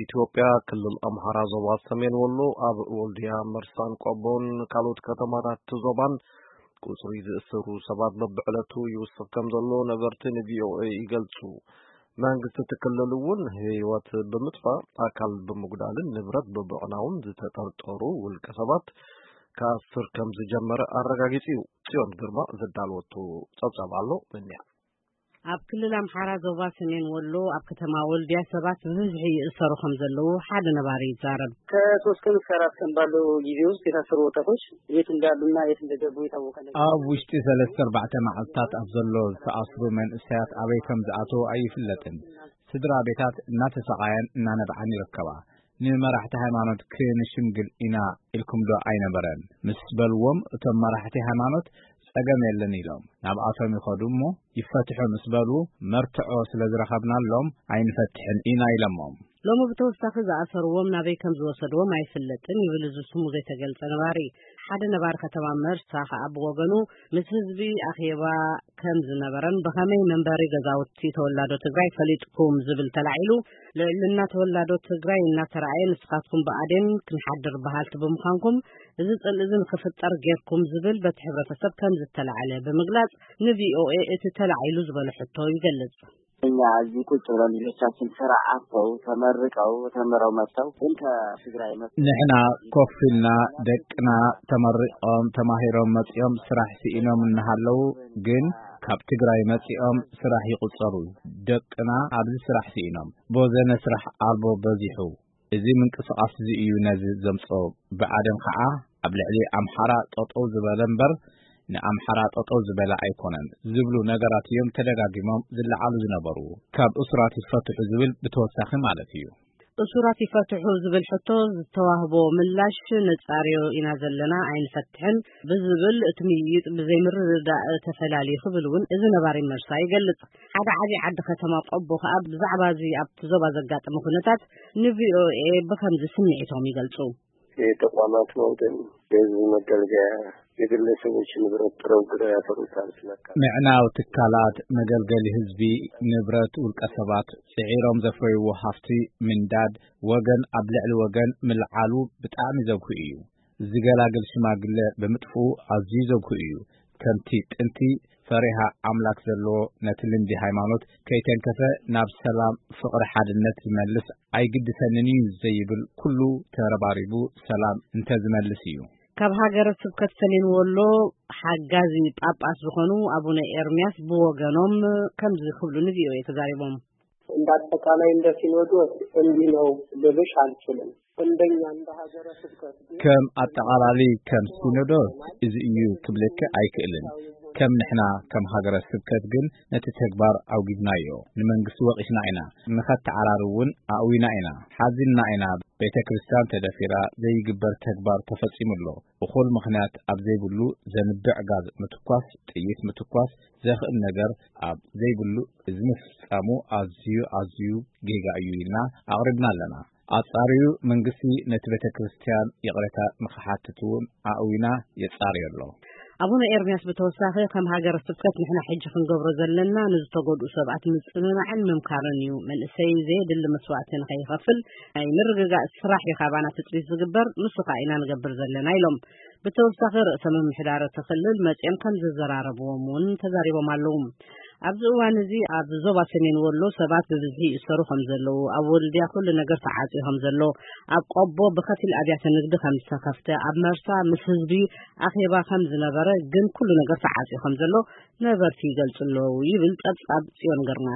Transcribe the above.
ኢትዮጵያ ክልል ኣምሓራ ዞባ ሰሜን ወሎ ኣብ ወልዲያ፣ መርሳን ቆቦን ካልኦት ከተማታት ዞባን ቁጽሪ ዝእሰሩ ሰባት በብዕለቱ ይውስኽ ከም ዘሎ ነበርቲ ንቪኦኤ ይገልጹ። መንግስቲ እቲ ክልል እውን ህይወት ብምጥፋእ፣ ኣካል ብምጉዳልን ንብረት ብምዕናውን ዝተጠርጠሩ ውልቀ ሰባት ክኣስር ከም ዝጀመረ ኣረጋጊጹ እዩ። ጽዮን ግርማ ዘዳለወቶ ጸብጻብ ኣሎ። ምንያ ኣብ ክልል ኣምሓራ ዞባ ሰሜን ወሎ ኣብ ከተማ ወልዲያ ሰባት ብብዝሒ ይእሰሩ ከም ዘለዉ ሓደ ነባሪ ይዛረብ። ከሶስት ቀን እስከ አራት ቀን ባለው ጊዜ ውስጥ የታሰሩ ወጣቶች የት እንዳሉና የት እንደገቡ የታወቀ ነገር ኣብ ውሽጢ ሰለስተ ኣርባዕተ መዓልታት ኣብ ዘሎ ዝተኣስሩ መንእሰያት ኣበይ ከም ዝኣተዉ ኣይፍለጥን። ስድራ ቤታት እናተሰቓያን እናነብዓን ይርከባ። ንመራሕቲ ሃይማኖት ክንሽምግል ኢና ኢልኩም ዶ ኣይነበረን ምስ በልዎም፣ እቶም መራሕቲ ሃይማኖት ጸገም የለን ኢሎም ናብኣቶም ይኸዱ እሞ ይፈትሑ ምስ በሉ፣ መርትዖ ስለ ዝረኸብናሎም ኣይንፈትሕን ኢና ኢለሞም። ሎሚ ብተወሳኺ ዝኣሰርዎም ናበይ ከም ዝወሰድዎም ኣይፍለጥን ይብል እዚ ስሙ ዘይተገልጸ ነባሪ። ሓደ ነባሪ ከተማ መርሳ ከኣ ብወገኑ፣ ምስ ህዝቢ ኣኼባ ከም ዝነበረን ብኸመይ መንበሪ ገዛውቲ ተወላዶ ትግራይ ፈሊጥኩም ዝብል ተላዒሉ፣ ልዕልና ተወላዶ ትግራይ እናተረኣየ፣ ንስኻትኩም ብኣዴን ክንሓድር በሃልቲ ብምዃንኩም እዚ ጽልኢ እዚ ንክፍጠር ጌርኩም ዝብል በቲ ሕብረተሰብ ከም ዝተላዕለ ብምግላጽ፣ ንቪኦኤ እቲ ተላዒሉ ዝበሎ ሕቶ ይገልጽ። እኛ እዚህ ቁጭ ብለን ልጆቻችን ስራ አጥተው ተመርቀው ተምረው መጥተው ግን ከትግራይ መጥተው ንሕና ኮፍ ኢልና ደቅና ተመሪቖም ተማሂሮም መጺኦም ስራሕ ስኢኖም እናሃለዉ ግን ካብ ትግራይ መጺኦም ስራሕ ይቑጸሩ። ደቅና ኣብዚ ስራሕ ስኢኖም ቦዘነ ስራሕ ኣልቦ በዚሑ። እዚ ምንቅስቓስ እዚ እዩ ነዚ ዘምጽኦ። ብኣደን ኸዓ ኣብ ልዕሊ ኣምሓራ ጠጠው ዝበለ እምበር ንኣምሓራ ጠጠው ዝበለ ኣይኮነን ዝብሉ ነገራት እዮም ተደጋጊሞም ዝለዓሉ ዝነበሩ። ካብ እሱራት ይፈትሑ ዝብል ብተወሳኺ ማለት እዩ። እሱራት ይፈትሑ ዝብል ሕቶ ዝተዋህቦ ምላሽ ነጻርዮ ኢና ዘለና፣ ኣይንፈትሕን ብዝብል እቲ ምይይጥ ብዘይምርድዳእ ተፈላልዩ ክብል እውን እዚ ነባሪ መርሳ ይገልጽ። ሓደ ዓብዪ ዓዲ ከተማ ቆቦ ከኣ ብዛዕባ እዚ ኣብቲ ዞባ ዘጋጠመ ኩነታት ንቪኦኤ ብኸምዚ ስምዒቶም ይገልጹ። የተቋማት መውደም፣ የህዝብ መገልገያ፣ የግለሰቦች ንብረት ጥረው ግረው ያፈሩታል ስለካ ምዕናው ትካላት መገልገሊ ህዝቢ፣ ንብረት ውልቀ ሰባት፣ ጽዒሮም ዘፍረይዎ ሃፍቲ ምንዳድ፣ ወገን ኣብ ልዕሊ ወገን ምልዓሉ ብጣዕሚ ዘጉሂ እዩ። ዝገላግል ሽማግለ ብምጥፍኡ ኣዝዩ ዘጉሂ እዩ። ከምቲ ጥንቲ ፈሪሃ ኣምላክ ዘለዎ ነቲ ልምዲ ሃይማኖት ከይተንከፈ ናብ ሰላም፣ ፍቕሪ፣ ሓድነት ዝመልስ ኣይግድሰንን እዩ ዘይብል ኩሉ ተረባሪቡ ሰላም እንተዝመልስ እዩ። ካብ ሃገረ ስብከት ሰሜን ወሎ ሓጋዚ ጳጳስ ዝኾኑ ኣቡነ ኤርምያስ ብወገኖም ከምዚ ክብሉ ንቪኦኤ ተዛሪቦም። እንደ አጠቃላይ እንደ ሲኖዶስ እንዲህ ነው ልልሽ አልችልም። እንደኛ እንደ ሀገረ ስብከት ግን ከም ኣጠቓላሊ ከም ሲኖዶስ እዚ እዩ ክብለኪ ኣይክእልን። ከም ንሕና ከም ሃገረ ስብከት ግን ነቲ ተግባር ኣውጊዝናዮ። ንመንግስቲ ወቒስና ኢና። ንኸተዓራሪ እውን ኣእዊና ኢና። ሓዚንና ኢና። ቤተ ክርስቲያን ተደፊራ ዘይግበር ተግባር ተፈጺሙ ኣሎ። እኹል ምኽንያት ኣብ ዘይብሉ ዘንብዕ ጋዝ ምትኳስ፣ ጥይት ምትኳስ ዘኽእል ነገር ኣብ ዘይብሉ እዚ ምፍጻሙ ኣዝዩ ኣዝዩ ጌጋ እዩ ኢልና ኣቕሪብና ኣለና። ኣጻርዩ መንግስቲ ነቲ ቤተ ክርስቲያን ይቕሬታ ንኽሓትት እውን ኣእዊና የጻርዮ ኣሎ። ኣቡነ ኤርምያስ ብተወሳኺ ከም ሃገረ ስብከት ንሕና ሕጂ ክንገብሮ ዘለና ንዝተጎድኡ ሰባት ምጽንናዕን ምምካርን እዩ። መንእሰይ ዘየድሊ መስዋእቲ ንኸይኸፍል ናይ ምርግጋእ ስራሕ እዩ ካባና ትጽቢት ዝግበር፣ ንሱ ከኣ ኢና ንገብር ዘለና ኢሎም። ብተወሳኺ ርእሰ ምምሕዳር እቲ ክልል መጺኦም ከም ዘዘራረብዎም እውን ተዛሪቦም ኣለዉ። ኣብዚ እዋን እዚ ኣብ ዞባ ሰሜን ወሎ ሰባት ብብዝሒ ይእሰሩ ከም ዘለዉ፣ ኣብ ወልድያ ኩሉ ነገር ተዓጽዩ ከም ዘሎ፣ ኣብ ቆቦ ብኸፊል ኣብያተ ንግዲ ከም ዝተኸፍተ፣ ኣብ መርሳ ምስ ህዝቢ ኣኼባ ከም ዝነበረ ግን ኩሉ ነገር ተዓጽዩ ከም ዘሎ ነበርቲ ይገልጹ ኣለዉ ይብል ጸብጻብ ጽዮን ግርማ።